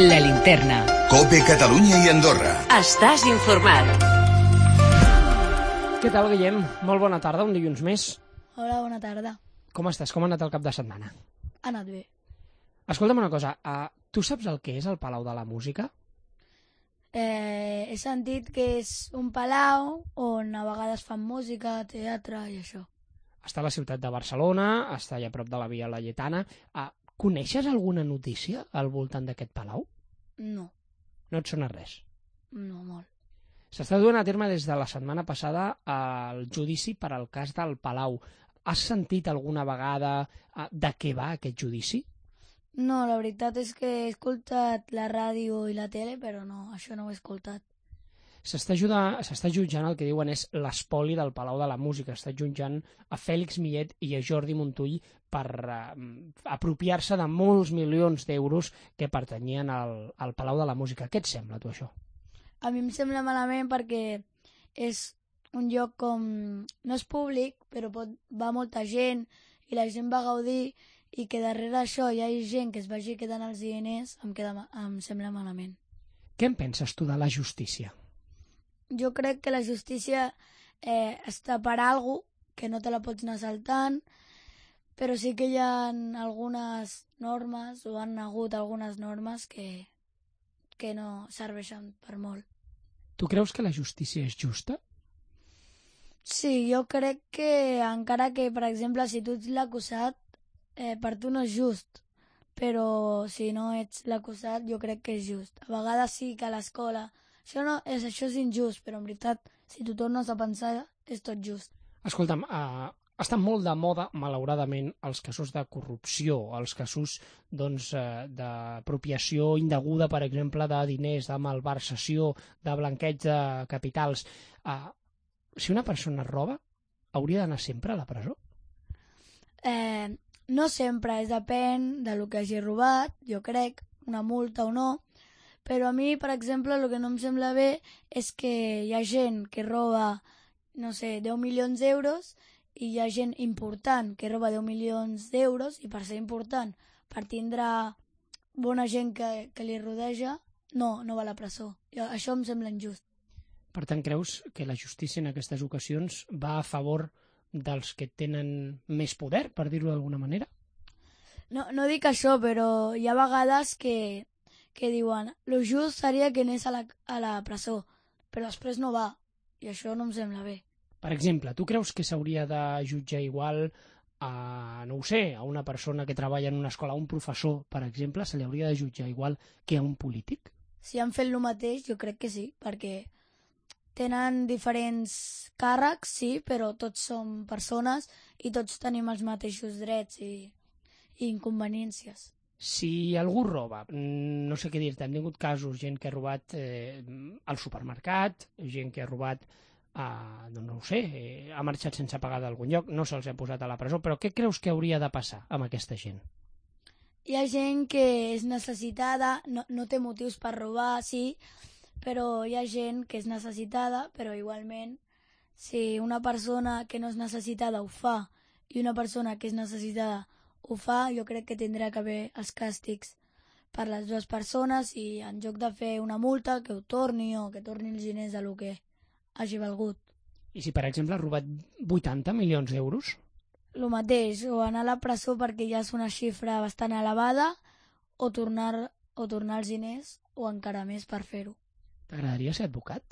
La Linterna. COPE Catalunya i Andorra. Estàs informat. Què tal, Guillem? Molt bona tarda, un dilluns més. Hola, bona tarda. Com estàs? Com ha anat el cap de setmana? Ha anat bé. Escolta'm una cosa, tu saps el que és el Palau de la Música? He sentit que és un palau on a vegades fan música, teatre i això. Està a la ciutat de Barcelona, està allà a prop de la Via Laietana. Coneixes alguna notícia al voltant d'aquest palau? No, No et sona res. no molt. S'està duent a terme des de la setmana passada el judici per al cas del Palau. Has sentit alguna vegada de què va aquest judici? No, la veritat és que he escoltat la ràdio i la tele, però no, això no ho he escoltat. S'està jutjant el que diuen és l'espoli del Palau de la Música. Està jutjant a Fèlix Millet i a Jordi Montull per apropiar-se de molts milions d'euros que pertanyien al Palau de la Música. Què et sembla, tu, això? A mi em sembla malament perquè és un lloc com... no és públic, però va molta gent i la gent va gaudir i que darrere d'això hi ha gent que es vagi quedant els diners, em sembla malament. Què en penses tu de la justícia? Jo crec que la justícia està per alguna cosa que no te la pots anar saltant, però sí que hi ha algunes normes, o han hagut algunes normes que no serveixen per molt. Tu creus que la justícia és justa? Sí, jo crec que encara que, per exemple, si tu ets l'acusat, per tu no és just, però si no ets l'acusat jo crec que és just. A vegades sí que a l'escola això és injust, però en veritat, si tu tornes a pensar, és tot just. Escolta'm, estan molt de moda, malauradament, els casos de corrupció, els casos d'apropiació indeguda, per exemple, de diners, de malversació, de blanqueig de capitals. Si una persona roba, hauria d'anar sempre a la presó? No sempre, depèn del que hagi robat, jo crec, una multa o no, però a mi, per exemple, el que no em sembla bé és que hi ha gent que roba, no sé, 10 milions d'euros i hi ha gent important que roba 10 milions d'euros i per ser important, per tindre bona gent que li rodeja, no va a la presó. Això em sembla injust. Per tant, creus que la justícia en aquestes ocasions va a favor dels que tenen més poder, per dir-ho d'alguna manera? No dic això, però hi ha vegades que diuen lo just seria que anés a la presó, però després no va, i això no em sembla bé. Per exemple, tu creus que s'hauria de jutjar igual a, no ho sé, a una persona que treballa en una escola, a un professor, per exemple, se li hauria de jutjar igual que a un polític? Si han fet el mateix, jo crec que sí, perquè tenen diferents càrrecs, sí, però tots som persones i tots tenim els mateixos drets i inconvenients. Si algú roba, no sé què dir-te, hem tingut casos, gent que ha robat al supermercat, gent que ha robat, no ho sé, ha marxat sense pagar d'algun lloc, no se'ls ha posat a la presó, però què creus que hauria de passar amb aquesta gent? Hi ha gent que és necessitada, no té motius per robar, sí, però hi ha gent que és necessitada, però igualment, si una persona que no és necessitada ho fa i una persona que és necessitada ho fa, jo crec que tindrà que haver els càstigs per les dues persones i en lloc de fer una multa que ho torni o que torni els diners del que hagi valgut. I si, per exemple, ha robat 80 milions d'euros? El mateix, o anar a la presó perquè ja és una xifra bastant elevada o tornar els diners o encara més per fer-ho. T'agradaria ser advocat?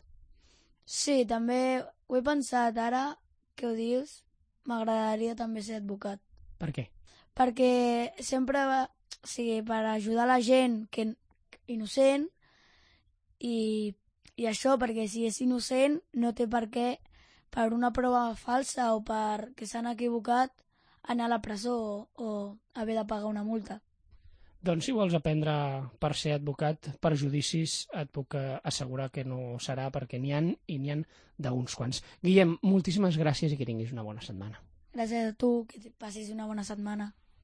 Sí, també ho he pensat ara que ho dius, m'agradaria també ser advocat. Per què? Perquè sempre per ajudar la gent que innocent i això, perquè si és innocent no té per què, per una prova falsa o perquè s'han equivocat, anar a la presó o haver de pagar una multa. Doncs si vols aprendre per ser advocat per judicis, et puc assegurar que no serà, perquè n'hi ha d'uns quants. Guillem, moltíssimes gràcies i que tinguis una bona setmana. Gràcies a tu, que passis una bona setmana.